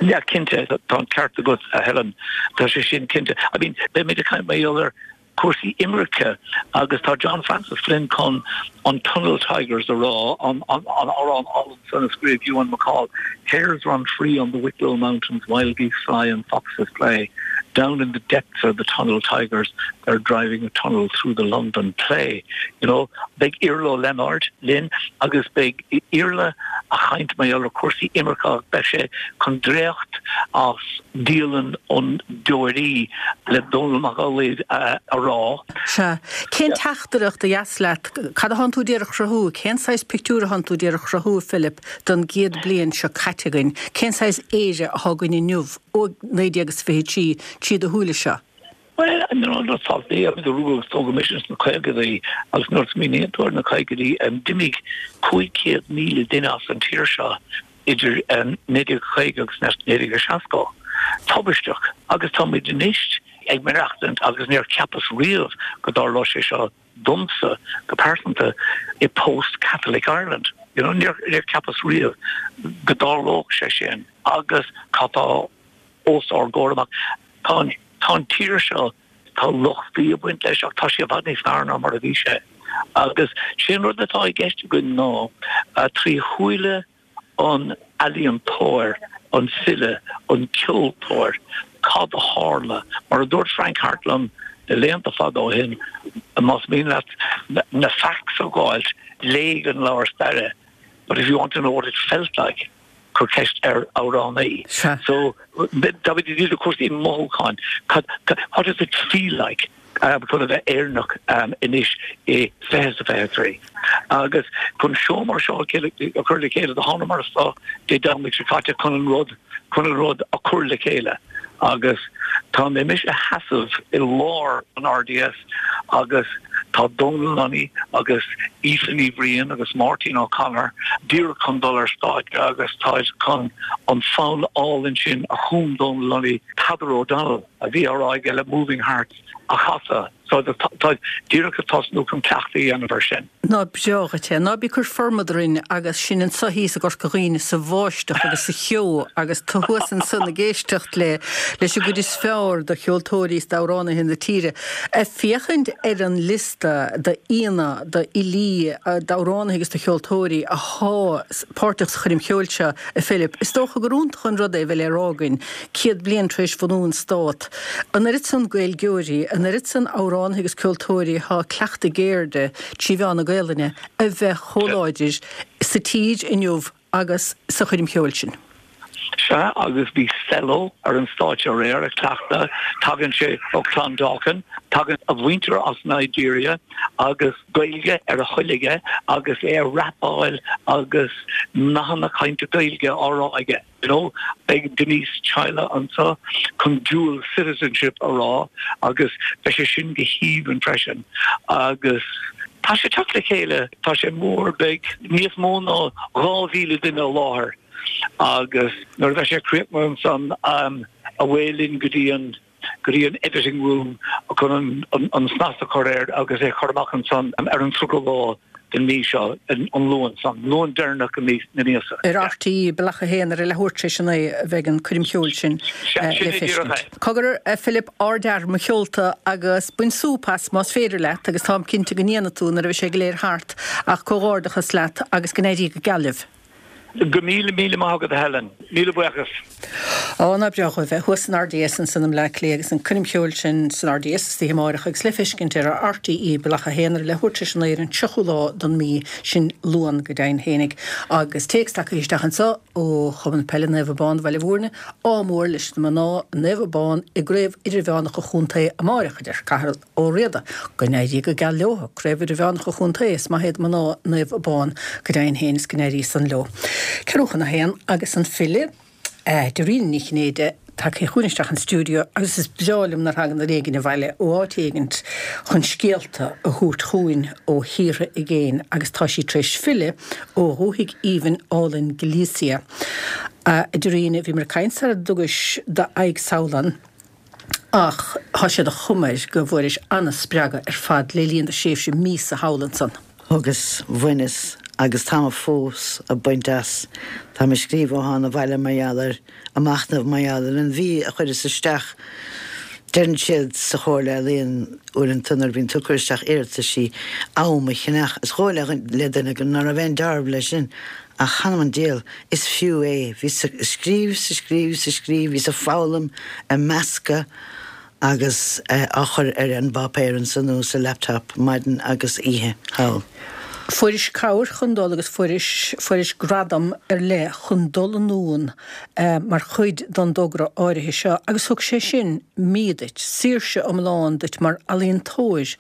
Ja cinnte tá an ceart agat a Helen tá sé sin cinnte. I mean beimid ag caint mar ar cúrsaí imirce agus tá John Francis Flynn chun an Tunnel Tigers a rá an an an amhrán san a scríobh Ewan MacColl Hares run free on the Wicklow Mountains wild geese fly and foxes play down in the depths of the tunnel tigers they're driving a tunnel through the London clay you know beidh Iarla Leonard linn agus beidh Iarla ag caint mar ar cúrsaí imirce beidh sé chun dréacht as dialann an deoraí le Dónall Mac Amhlaigh a rá. Sea, cén teachtaireacht a dheas leat, cad atánn tú d'iarraidh a chruthú, cén saghas pictiúr atánn tú d'iarraidh a chruthú Philip don gcéad bliain seo caite againn, cén saghas Éire atá againn inniu ó naoi déag is fiche trí trí do shúile seo. Well no saltaí a rugadh tógadh mise sna caogaidí agus nuair a smaoiníonn tú ar na caogaidí d'imigh cúig chéad míle duine as an tír seo idir naoi déag caoga agus naoi déag seasca. Tubaisteach agus táimid anois ag maireachtaint agus níor cheapas riamh go dtarlódh sé seo domsa go pearsanta i post-Catholic Ireland. You know, níor níor cheapas riamh go dtarlódh sé sin agus cad tá os ár gcomhair amach tá tá an tír seo tá lochtaí ag baint leis ach tá sé i bhfad níos fearr ná mar a bhí sé. Agus sin rud atá i gceist againn ná trí shúile an ealaíontóir, an file, an ceoltóir, cad a tharla, mar a dúirt Frank Harte liom na blianta fada ó shin, más mian leat na facts a fháilt, léigh an leabhar staire, but if you want to know what it felt like, cuir ceist ar amhránaí. So táimid ag díriú cúrsaí mothúcháin, what does it feel like? chun a bheith Éireannach anois i fiche is fiche trí. Agus chun seó mar seo a chur le chéile do thángamar anseo Dé Domhnaigh seo caite chun an rud chun an rud a chur le chéile. Agus tá mé mise ag seasamh i lár an RDS agus tá Dónal Lunny agus Aoife Ní Bhriain agus Máirtín O'Connor díreach chun dul ar stáitse agus táid chun an fonn álainn sin a chum Dónal Lunny Peadar O'Donnell a bhí á rá aige le Moving Hearts a chasadh. So tá díreach ag tosnú chun cleachtadh a dhéanamh air sin. Ná breá dhuit é. Ná bí ag cur formad orainn agus sinn anseo thíos i gCorca Dhuibhne sa bháisteach agus sa cheo agus tú thuas ansan ag éisteacht le leis an gcuid is fearr de cheoltóirí is d'amhránaithe na tíre. Ag féachaint ar an liosta d'aíonna, d'fhilí, d'amhránaithe agus de cheoltóirí atá páirteach sa choirm cheoil seo, a Philip, is dócha gur iontach an rud é a bheith le rá againn, céad bliain tar éis bhunú an Stát, an oiread san Gaeilgeoirí, an oiread san amhránaithe agus ceoltóirí atá ag cleachtadh a gceirde trí mheán na Gaelainne a bheith chomh láidir sa tír inniu agus sa choirm cheoil sin. Sea, agus bhí Cello ar an stáitse aréir ag cleachtadh, tagann sé ó Clondalkin, Tagann a mhuintir as Nigeria agus Gaeilge ar a thoil aige agus é ag rapáil agus nathanna cainte Gaeilge á rá aige. You know, beidh Denise Chaila anseo chun dual citizenship a rá agus beidh sé sin go haoibhinn freisin. Agus tá sé teacht le chéile, tá sé mór, beidh níos mó ná dhá mhíle duine i láthair agus nuair a bheidh sé críochnaithe ansan um, away linn go dtí an go dtí an editing room chun an, an snas a chur air agus é chur amach ansan ar an tríochadú lá den mí seo, an Luan san, Luan deireanach i mí na míosa. Ar RTÉ Bealach a haon ar a leathuair tar éis a naoi a bheidh an coirm cheoil sin le feiscint. Cogar, a Philip, ardfhear mo sheolta agus bain súp as más féidir leat agus táim cinnte go ndéanfaidh tú nuair a bheidh sé go léir thart ach comhghairdeachas leat agus go n-éirí go geal libh. Go míle míle maith agat a Helen. Míle buíochas. Ó, nach breá dhóibh bheith thuas san RDS ansan i mBleá Cliath agus an coirm cheoil sin san RDS istoíche amárach agus le feiscint ar RTÉ Bealach a haon ar a leathuair tar éis a naoi ar an tríochú lá don mí sin Luan go deimhin fhéinig. Agus téacs tagtha isteach anso ó Chumann Peile Naomh Abán Bhaile Bhúirne, ádh mór leis na mná Naomh Abán i gCraobh Idirmheánach an Chontae amárach, a deir Cathal Ó Riada. Go n-éirí go geal leo. Craobh Idirmheánach an Chontae, is maith iad mná Naomh Abán go deimhin féin is go n-éirí san leo. Ceathrú chun a haon agus an file Dairena Ní Chinnéide tagtha chugainn isteach an stiúideo agus is breá liom nuair a thagann duine éigin abhaile ó áit éigint chun scéalta a thabhairt chugainn ó thíortha i gcéin agus tá sí tar éis filleadh ó dhúthaigh aoibhinn álainn Galicia. A Dairena, bhíomar ag caint sara dtugais d'aghaidh sall ann. Ach tá sé de chuma air go bhfuairis an-spreagadh ar fad le linn do thréimhse míosa thall ansan. Thugas, bhaineas agus táim fós ag baint as. Táim ag scríobh ó thána abhaile mar gheall air, ag machnamh mar gheall ar an mhí a chuireas isteach. Deireann siad sa Chomhairle Ealaíon uaireanta nuair a bhíonn tú ag cur isteach iarrataisí am a cheannach. Is dóigh le duine go ná raibh aon dealramh leis sin. Ach th'anam 'on diabhal, is fiú é. Bhíos ag scríobh 's ag scríobh 's ag scríobh, bhíos ag foghlaim, ag meascadh agus á chur ar an bpáipéar ansan nó sa laptop maidin agus oíche thall. Fuairis cabhair chun dul agus fuairis, fuairis gradam ar leith chun dul anonn mar chuid don dtogra áirithe seo agus thug sé sin mí duit, saoirse iomlán duit mar ealaíontóir.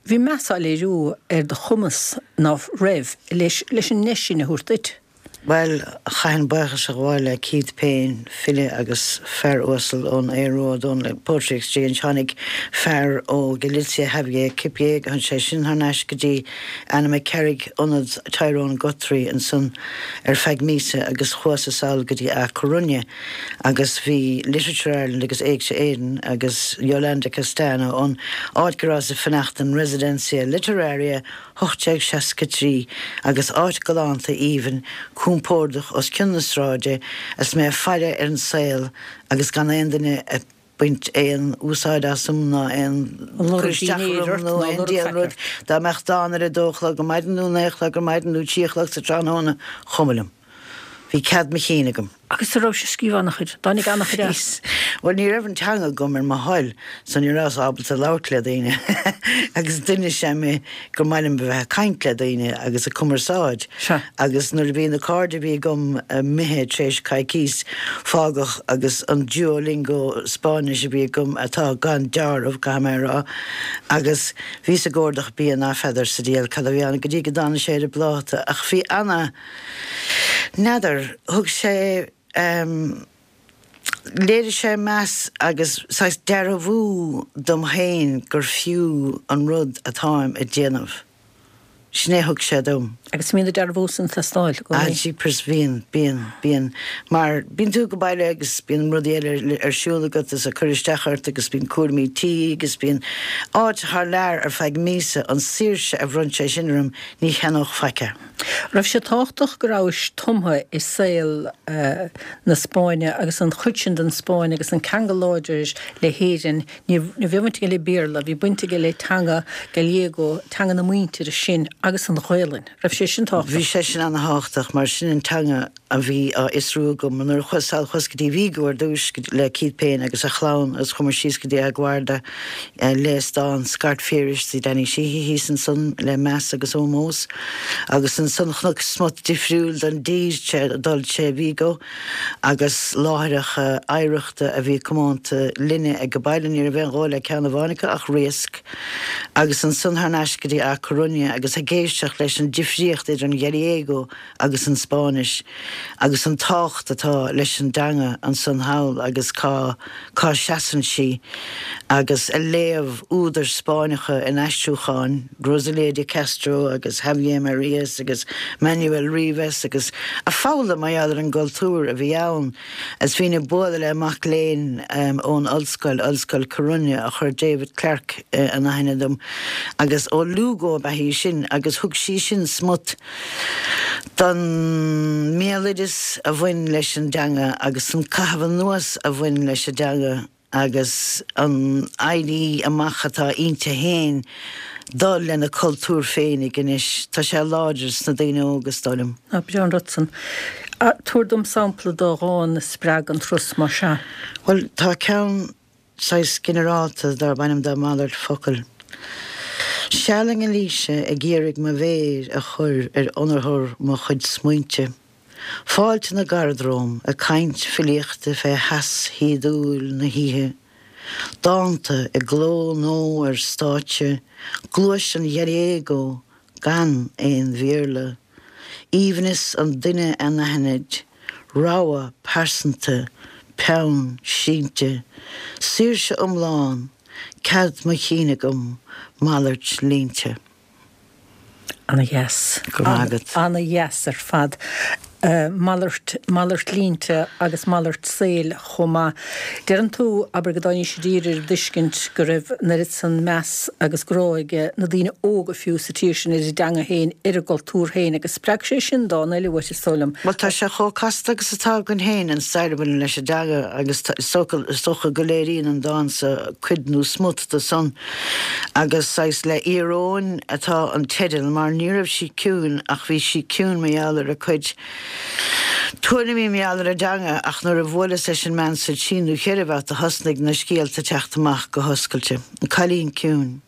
Bhí meas á léiriú ar do chumas, ná raibh, leis leis an ndeis sin a thabhairt duit. Bhuel, chaithfinn buíochas a ghabháil le Keith Payne, file agus fear uasal ón Aodh Rua Ó Dónaill, Poetry Exchange. Tháinig fear ó Galicia, Javier Quipe, tháinig sé sin thar n-ais go dtí Annaghmakerrig, ionad Tyrone Guthrie ansan ar feadh míosa agus chuas-sa sall go dtí A Coruña agus bhí Literature Ireland agus Éigse Éireann agus Yolanda Castano an áit go rabhas ag fanacht, an Residencia Literaria hocht déag seasca trí, agus áit galánta aoibhinn, compordach os cionn na sráide, is mé ag faire ar an saol agus gan aon duine ag baint aon úsáid asam ná aon cur isteach orm nó aon diabhal rud. Dá mbeadh dán ar a dó a chlog ar maidin nó naoi a chlog ar maidin nó trí a chlog sa tráthnóna, chuma liom. Bhí cead mo chinn agam. Agus an rabhais ag scríobh an-chuid? Dtáinig an-chuid as? Bhuel, ní raibh an teanga agam ar mo thoil, so ní rabhas ábalta labhairt le daoine. Agus duine is ea mé gur maith liom a bheith ag caint le daoine agus ag cumarsáid. Sea. Agus nuair a bhí na cairde a bhí agam imithe tar éis coicís, fágadh agus an Duolingo Spáinnis a bhí agam, atá gan deáramh, caithfidh mé a rá, agus bhíos ag ardach bia ná feadar sa diabhal cad a bhí ann go dtí go dtáinig sé ar an bpláta. Ach bhí ana. N'fheadar, thug sé ehm, léirigh sé meas agus saghas dearbhú dom féin gur fiú an rud atáim ag déanamh. Sin é a thug sé dom. Agus bíonn an dearbhú san ag teastáil i gcónaí. Ah, jeepers, bíonn, bíonn, bíonn. Mar bíonn tú go baile agus bíonn rudaí eile ar siúl agat is ag cur isteach ort agus bíonn cúraimí tí agus bíonn áit thar lear ar feadh míosa, an saoirse a bhronn sé sin orm, ní cheannódh faic é. Raibh sé tábhachtach go rabhais tumtha i saol na Spáinne agus an chuid sin den Spáinn agus an ceangal láidir le hÉirinn. Ní raibh baint aige le Béarla, bhí baint aige le teanga Gallego, teanga na muintire sin agus an Ghaelainn. Raibh sé sin tábhachtach? Bhí sé sin an-tábhachtach mar sin an teanga a bhí á fhiosrú agam nuair a chuas sall chuas go dtí Vigo ar dtús le Keith Payne agus a chlann agus chuamar síos go dtí A Guarda léas dán Scairt Phiarais de Danny Sheehy thíos ansan le meas agus ómós agus ansan chonac smut difriúil den dtír dul sé Vigo agus láithreacha oidhreachta a bhí comónta linne ag baile ní raibh aon ghabháil le ceann amháin acu ach riasc agus ansan thar n-ais go dtí A Coruña agus ag éisteacht leis an difríocht idir an Gallego agus an Spáinnis agus an tábhacht atá leis an dteanga ansan thall agus cá cá seasann sí agus a léamh údair Spáinneacha in aistriúcháin, Rosalía de Castro agus Javier Marías agus Manuel Rivas agus a foghlaim mar gheall ar an gcultúr a bhí ann. Is bhínn ag bualadh le mac léinn ón ollscoil, Ollscoil Coruña, a chuir David Clarke in aithne dom agus ó Lugo ab ea í sin agus thug sí sin smut don mbéaloideas a bhain leis an dteanga agus an caitheamh anuas a bhain leis an dteanga agus an éirí amach atá inti féin dul lena cultúr féinig anois. Tá sé láidir sna daoine óga, is dóigh liom. Ná breá an rud san. Tabhair dom sampla de dhán a spreag an turas mar sea. Bhuel, tá ceann saghas ginearálta darb ainm dó Malairt Focal. Seal i nGailíse ag iarraidh mo mhéir a chur ar ionathar mo chuid smaointe. Fáilte na gcarad romham ag caint filíochta fé theas shíodúil na hoíche. Dánta i gcló nó ar stáitse, gluais an Ghallego gan aon Bhéarla. Aoibhneas an duine anaithnid, rogha pearsanta, peann sínte, saoirse iomlán, cead mo chinn agam, malairt línte. Ana dheas. Go raibh maith agat. Ana dheas ar fad. Malairt, malairt línte agus malairt saoil chomh maith. Deireann tú, abair, go dtáinís i dtír ar an dtuiscint go raibh an oiread san meas agus grá ag na daoine óga fiú sa tír sin ar a dteanga féin, ar a gcultúr féin agus spreag sé sin dán eile uait, is dóigh liom. Bhuel, tá sé chomh casta agus atá againn féin, an stair a bhaineann leis an dteanga agus is dócha go léiríonn an dán so cuid nó smut de san agus saghas le íoróin atá an teideal mar ní raibh sí ciúin ach bhí sí ciúin mar gheall ar a cuid tuairimí mar gheall ar an dteanga ach nuair a bhuaileas leis an mbean sa trí nó ceithre bhabhta thosnaigh na scéalta teacht amach go hoscailte. An Cailín Ciúin.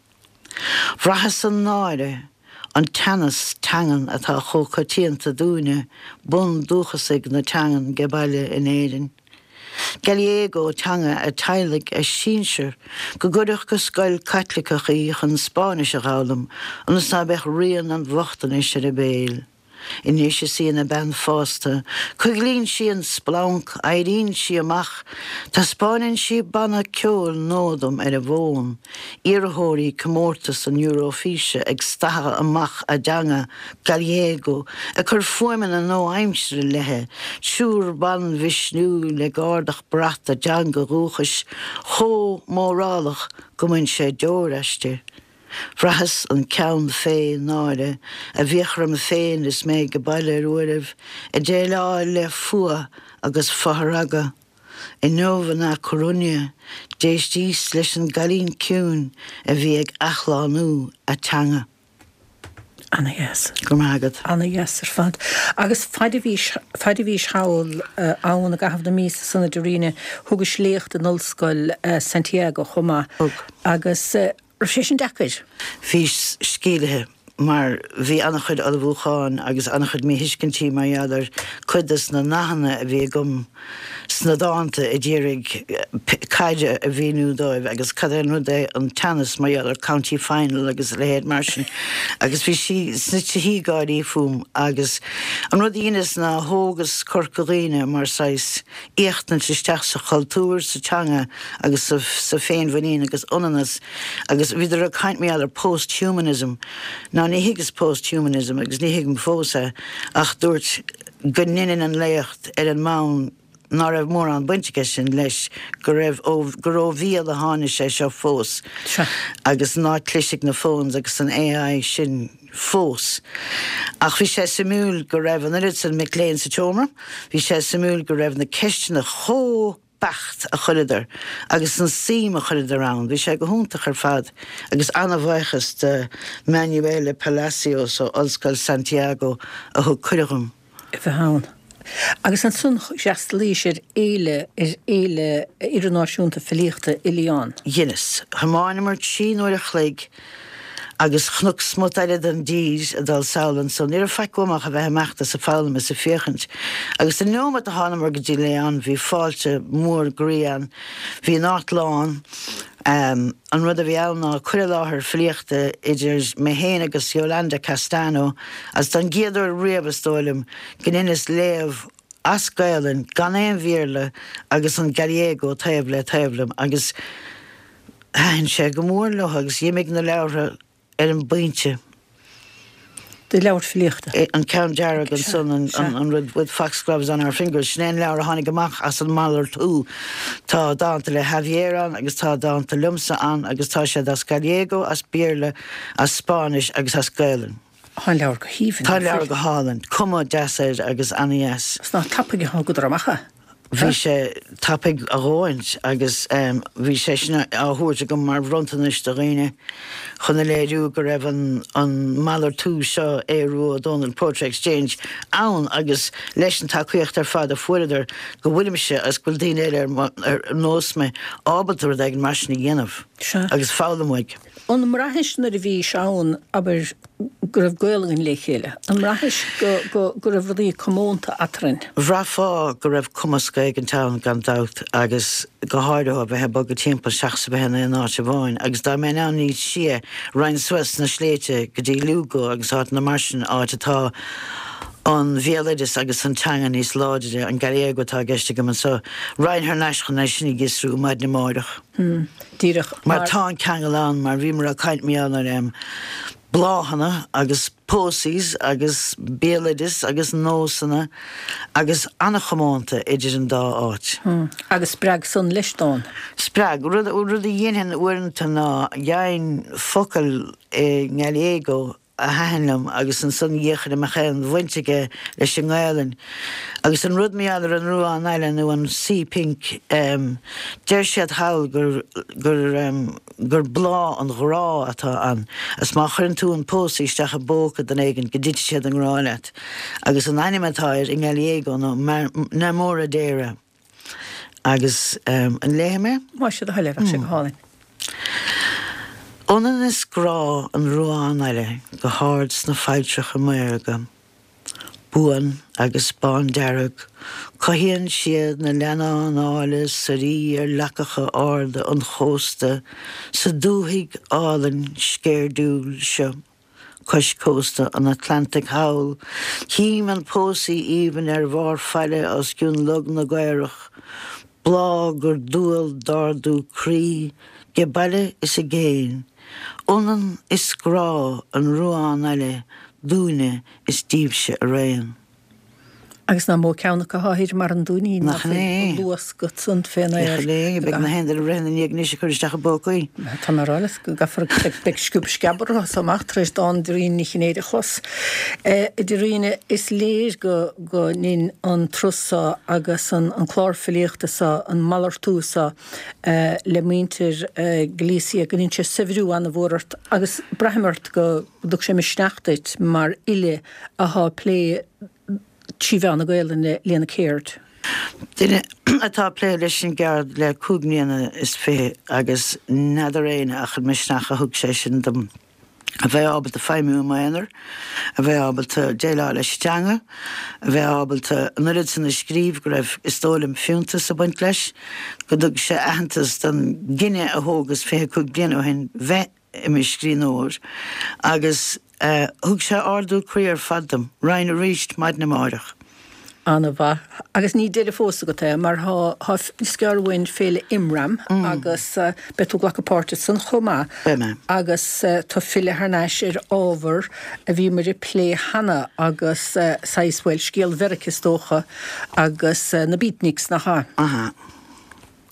Bhraitheas an náire, an teannas teangan atá chomh coitianta dúinne, bundúchasaigh na teangan 'ge baile in Éirinn. Gallego teanga a teaghlaigh, a sinsir, go gcuirfeadh go scoil Caitliceach í chun Spáinnis a dh'fhoghlaim ionas ná beadh rian an bhochtanais ar a béal. Anois is í ina bean fásta, coiglíonn sí an splanc, éiríonn sí amach, taispeáineann sí banna ceoil nua dom ar an bhfón, iarrthóirí comórtas an Eurofíse ag stathadh amach a dteanga, Gallego, ag cur fuaimeanna nua-aimsire léi, triúr ban mhisniúil ag ardach brat a dteanga dhúchais chomh mórálach go mbaineann sé deoir aisti. Bhraitheas an ceann fé náire a bhíodh orm féin is mé 'ge baile ar uairibh, ag déileáil le fuath agus fothragadh. Inniu in A Coruña, d'éistíos leis an gcailín ciúin a bhí ag athshlánú a teanga. Ana dheas. Go raibh maith agat. Ana dheas ar fad. Agus faid a bhís, faid a bhís thall ann i gcaitheamh na míosa san a Darina, thugais léacht in Ollscoil Santiago chomh maith. Thug. Agus raibh sé sin deacair? Bhí scílithe mar bhí an-chuid ullmhúcháin agus an-chuid míthuiscintí mar gheall ar cuid des na nathanna a bhí agam sna dánta a d'iarraidh caide a mhíniú dóibh agus cad é an rud é an teannas mar gheall ar county final agus a leithéid mar sin agus bhí sí sna tithí gáirí fúm agus an rud a dheineas ná thógas Corca Dhuibhne mar saghas éachtaint isteach sa chultúr, sa teanga agus sa sa féinmhuinín agus ionannas agus bhíodar ag caint mar gheall ar post-humanism. Ná ní thuigeas post-humanism agus ní thuigim fós é ach dúirt go ndeininn an léacht ar an mbonn ná raibh mórán baint aige sin leis, go raibh ó gur ó bhéal a tháinig sé seo fós Sea. agus ná clisfidh na phones agus an AI sin fós. Ach bhí sé suimiúil go raibh an oiread san mic léinn sa tseomra, bhí sé suimiúil go raibh na ceisteanna chomh beacht a chuireadar agus an suim a chuireadar ann. Bhí sé go hiontach ar fad agus an-bhuíochas do Manuela Palacios ó Ollscoil Santiago a thug cuireadh dhom. A bheith ann. Agus ansan d'fhreastalaís ar fhéile, ar fhéile idirnáisiúnta filíochta i León. Dheineas. Thiomáineamar trí n-uair a chloig agus chonac smut eile den dtír ag dul sall anso. Ní raibh faic uaim ach a bheith ag imeacht is ag foghlaim is ag féachaint. Agus an neomat a thánamar go dtí León bhí fáilte mór groí ann. Bhí an áit lán. An rud a bhí ann ná cur i láthair filíochta idir mé féin agus Yolanda Castano agus don gcéad uair riamh is dóigh liom go ndeineas léamh as Gaelainn gan aon Bhéarla agus an Gallego taobh le taobh liom agus thaitin sé go mór leo agus d'imigh na leabhartha ar an bpointe. Do leabhar filíochta. An ceann dearg ansan, an rud with foxgloves on our fingers, sin é an leabhar a tháinig amach as an malartú. Tá dánta le Javier ann agus tá dánta liomsa ann agus tá siad as Gallego, as Béarla, as Spáinnis agus as Gaelainn. Tá an leabhar go haoibhinn. Tá an leabhar go hálainn. Cuma deas air agus ana-dheas. Is nach tapaidh a thugadar amach é? Bhí sé tapaidh a dhóthaint agus bhí sé sin á thabhairt agam mar bhronntanais do dhaoine chun a léiriú go raibh an an malartú seo Aodh Rua Ó Dónaill Poetry Exchange ann agus leis an tacaíocht ar fad a fuaireadar go bhfuilimse agus go bhfuil daoine eile ar nós mé ábalta rud éigin mar sin a dhéanamh agus foghlaim uaidh. An mbraithis nuair a bhís ann, abair, go raibh gaol againn le chéile? An mbraithis go, go, go raibh rudaí comónta eadrainn? Bhraithfeá go raibh cumasc éigint ann gan dabht agus go háirithe ó bheith ag bogadh timpeall seachas a bheith in aon áit amháin agus dá mbeinn ann níos sia, raghainn suas sna sléibhte go dtí Lugo agus áiteanna mar sin, áit atá an bhéaloideas agus an teanga níos láidre, an Gallego atá i gceist agam anseo. Raghainn thar n-ais chun é sin a fhiosrú maidin amáireach. Díreach mar. Mar tá an ceangal ann, mar bhíomar ag caint mar gheall ar bláthanna agus posies agus béaloideas agus nósanna agus an-chomónta idir an dá áit. Agus spreag san leis dán. Spreag. Rud a dhéanfainn uaireanta ná gheibhinn focal i nGallego a thaitin liom agus ansan d'fhéachfainn an mbeadh aon bhaint aige leis an nGaelainn. Agus an rud mar gheall ar an ruán aille nó an sea pink, deir siad thall gur, gur, gur bláth an ghrá atá ann agus má chuireann tú an pósaí isteach i bpóca duine éigin go dtitfidh siad i ngrá leat. Agus an ainm atá air i nGallego ná Namoradera. Agus an léifidh mé? Más é do thoil é, bheadh sé go hálainn. Ionann is grá an ruán aille go hard sna failltreacha maorga, buan agus bándearg, cothaíonn siad na leannáin áille suirí ar leacacha arda an chósta sa dúthaigh álainn sceirdiúil seo. Cois cósta an Atlantaigh thall, cím an pósaí aoibhinn ar bharr faille os cionn Log na gCaorach, bláth gur dual d'ardú croí 'ge baile is i gcéin, ionann is grá an ruán aille dúinne is díbhse araon. Agus nach mó ceann acu atá thiar mar an dúinín Nach in é? ag luascadh san fén aer. Nach in é? Beidh na haon duine ag rith ina ndiaidh anois ag cur isteach i bpócaí. Tá mé ag rá leat go gcaithfear, beidh sciob sceab orthu as seo amach tar éis dán Dhoirín Ní Chinnéide a chlos. A Dhoirín, is léir go go ndein an turas so agus an an clár filíochta so, an malartú so le muintir Galicia, go ndein sé saibhriú ana-mhór ort agus braithim ort go dtug sé misneach duit mar fhile athá ag plé trí mheán na Gaelainne lena céird. Duine atá ag plé leis an gceard le cúig mbliana is fiche agus n'fheadar éinne ach an misneach a thug sé sin dom a bheith ábalta feidhmiú i m'aonar, a bheith ábalta déileáil leis an teanga, a bheith ábalta an oiread san a scríobh go raibh, is dóigh liom, fiúntas ag baint leis, go dtug sé aitheantas don gcinneadh a thógas fiche cúig bliana ó shin bheith i mo scríbhneoir agus thug sé ardú croí ar fad dom. Raghainn arís maidin amáireach. Ana-mhaith. Agus ní deireadh fós agat é mar thá, thá, is gearr uainn Féile Imram agus beidh tú ag glacadh páirte ansan chomh maith. Beidh mé. Agus tá filleadh thar n-ais ar ábhar a bhíomar ag plé cheana agus saghas, bhuel, scéal Mheirice is dócha agus na Beatniks, nach ea? Aha.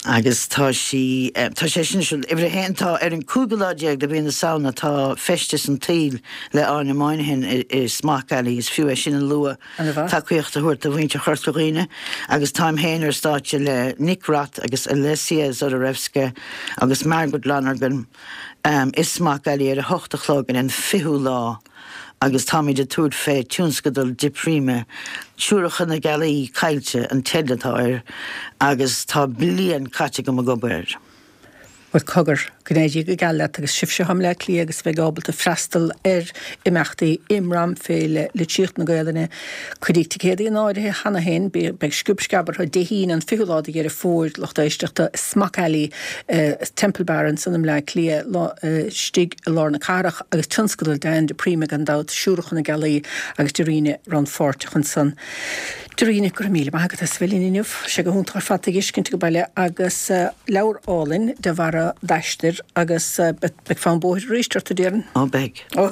Agus tá sí tá sé sin siúl. Uimhir a haon tá ar an cúigiú lá déag de mhí na Samhna tá Feisteas an tSaoil le Áine Moynihan i Smock Alley, is fiú é sin a lua, tacaíocht a thabhairt do mhuintir Chorca Dhuibhne agus táim féin ar stáitse le Nick Roth agus Alessia Zodorevska agus Margaret Lonergan i Smock Alley ar a hocht a chlog ar an fichiú lá. Agus táimid ag tabhairt fé tionscadal Di Prima, Siúracha na Gealaí Caillte an teideal atá air, agus tá bliain caite agam ag obair air. Bhuel, cogar, go n-éirí go geal leat agus sibhse atá i mBleá Cliath agus a bheidh ábalta freastal ar imeachtaí imram Féile Litríocht na Gaelainne. Cuireadh ticéadaí in áirithe cheana féin, beidh sciob sceab orthu Dé hAoine an fichiú lá de Dheireadh Fómhair, lucht éisteachta, Smock Alley, Temple Bar ansan i mBleá Cliath, istigh i lár na cathrach agus tionscadal Diane di Prima gan dabht, Siúracha na Gealaí agus Dairena rannpháirteach ansan. Dairena, go raibh míle maith agat as a bheith linn inniu. Sé go hiontach ar fad tú ag fheiscint ag baile agus leabhar álainn de bharra d'aistear agus beidh fonn bóthair arís ort, a déarfainn. Ó, beidh. Ó,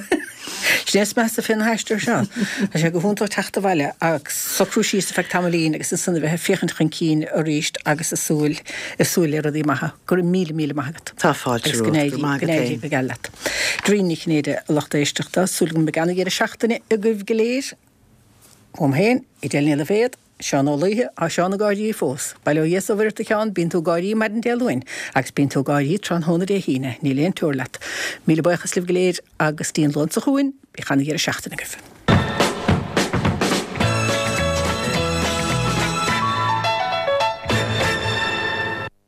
sin é is measa fé na haistir seo. Tá sé go hiontach teacht abhaile agus socrú síos ar feadh tamaillín agus ansan a bheith ag féachaint chun cinn arís agus ag súil, ag súil le rudaí maithe. Go raibh míle, míle maith agat. Tá fáilte Agus go romhat. n-éirí, Go maith go agat n-éirí féin. go geal leat. Dairena Ní Chinnéide, a lucht éisteachta, súil agam go mbeidh ana-dheireadh seachtaine agaibh go léir. Uaim féin, Edel Ní Loibhéad, Seán Ó Laoithe, tá Seán ag gáirí fós. Bail ó Dhia is ó Mhuire ort a Sheáin, bíonn tú ag gáirí maidin Dé Luain agus bíonn tú ag gáirí tráthnóna Dé hAoine, níl aon teora leat. Míle buíochas libh go léir agus dtí an Luan seo chugainn, bíodh ana-dheireadh seachtaine agaibh.